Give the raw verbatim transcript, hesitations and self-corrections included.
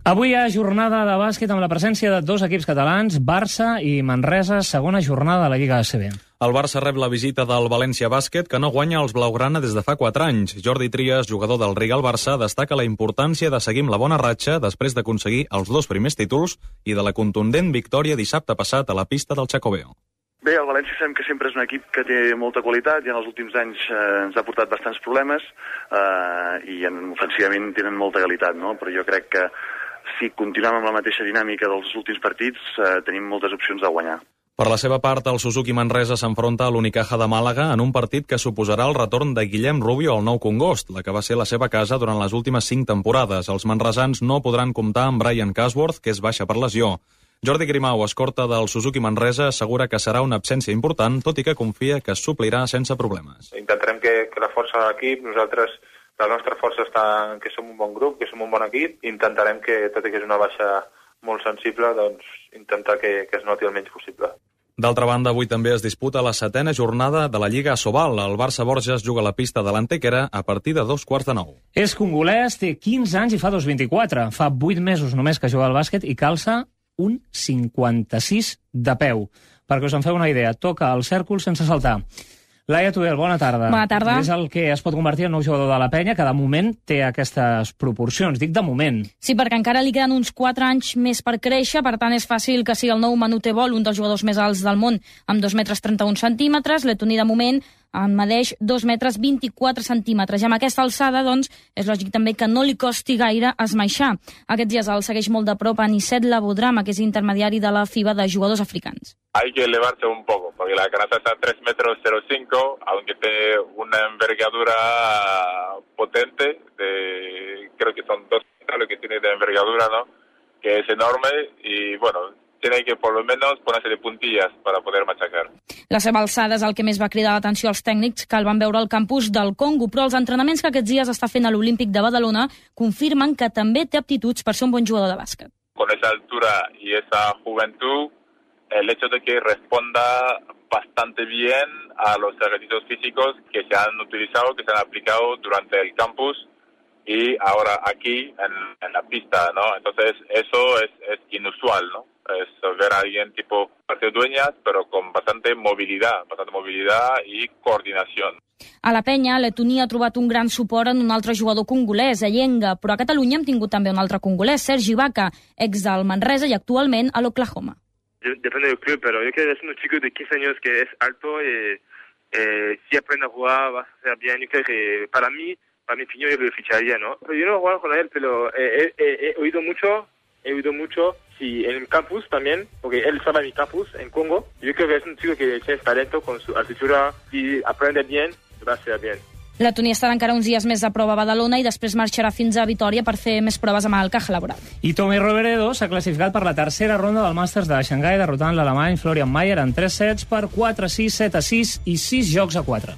Avui hi ha jornada de bàsquet amb la presència de dos equips catalans, Barça i Manresa, segona jornada de la Lliga A C B. El Barça rep la visita del València Bàsquet, que no guanya els blaugrana des de fa quatre anys. Jordi Trias, jugador del Rigal Barça, destaca la importància de seguir amb la bona ratxa després d'aconseguir els dos primers títols i de la contundent victòria dissabte passat a la pista del Xacobeo. Bé, el València sabem que sempre és un equip que té molta qualitat i en els últims anys eh, ens ha portat bastants problemes eh, i en, ofensivament tenen molta qualitat, no? Però jo crec que si continuem amb la mateixa dinàmica dels últims partits eh, tenim moltes opcions de guanyar. Per la seva part, el Suzuki Manresa s'enfronta a l'Unicaja de Màlaga en un partit que suposarà el retorn de Guillem Rubio al Nou Congost, la que va ser la seva casa durant les últimes cinc temporades. Els manresans no podran comptar amb Brian Casworth, que és baixa per lesió. Jordi Grimau, escorta del Suzuki Manresa, assegura que serà una absència important, tot i que confia que es suplirà sense problemes. Intentarem que, que la força de l'equip, nosaltres, la nostra força està en que som un bon grup, que som un bon equip, intentarem que, tot i que és una baixa molt sensible, doncs intentar que, que es noti el menys possible. D'altra banda, avui també es disputa la setena jornada de la Lliga Asobal. El Barça Borges juga a la pista de l'Antequera a partir de dos quarts de nou. És congolès, té quinze anys i fa dos vint-i-quatre. Fa vuit mesos només que juga al bàsquet i calça un cinquanta-sis de peu. Perquè us en feu una idea, toca el cèrcol sense saltar. Laia Tudel, bona tarda. Bona tarda. És el que es pot convertir en nou jugador de la Penya, que de moment té aquestes proporcions. Dic de moment. Sí, perquè encara li queden uns quatre anys més per créixer, per tant és fàcil que sigui el nou Manute Bol, un dels jugadors més alts del món, amb dos metres trenta-un centímetres. Letoni de moment en medeix dos metres vint-i-quatre centímetres. I amb aquesta alçada, doncs, és lògic també que no li costi gaire esmaixar. Aquests dies el segueix molt de prop Anicet Labodrama, que és intermediari de la FIBA de jugadors africans. Hay que elevarse un poco, porque la canasta está a tres metros cero cinco, aunque tiene una envergadura potente, de, creo que son dos metros lo que tiene de envergadura, ¿no? Que es enorme y, bueno, tiene que por lo menos ponerse de puntillas para poder machacar. La seva alçada és el que més va cridar l'atenció als tècnics que el van veure al campus del Congo, però els entrenaments que aquests dies està fent a l'Olímpic de Badalona confirmen que també té aptituds per ser un bon jugador de bàsquet. Con esa altura y esa juventud, el hecho de que responda bastante bien a los ejercicios físicos que se han utilizado, que se han aplicado durante el campus y ahora aquí en, en la pista, ¿no? Entonces eso es, es inusual, ¿no? Es ver a alguien tipo parte dueñas, pero con bastante movilidad, bastante movilidad y coordinación. A la Penya, Letoni ha trobat un gran suport en un altre jugador congolès, Ayenga, però a Catalunya hem tingut també un altre congolès, Sergi Vaca, ex del Manresa i actualment a l'Oklahoma. Depende del club, pero yo creo que es un chico de quince años que es alto y eh, si aprende a jugar va a ser bien. Yo creo que para mí, para mi opinión, yo lo ficharía, ¿no? Pero yo no he jugado con él, pero eh, he, he oído mucho, he oído mucho, sí, en el campus también, porque él estaba en mi campus en Congo. Yo creo que es un chico que tiene talento con su altura, si aprende bien, va a ser bien. Letoni estarà encara uns dies més a prova a Badalona i després marxarà fins a Vitòria per fer més proves amb el Caja Laboral. I Tommy Roveredo s'ha classificat per la tercera ronda del Màsters de Xangai, derrotant l'alemany Florian Mayer en tres sets per quatre a sis, set a sis i sis jocs a quatre.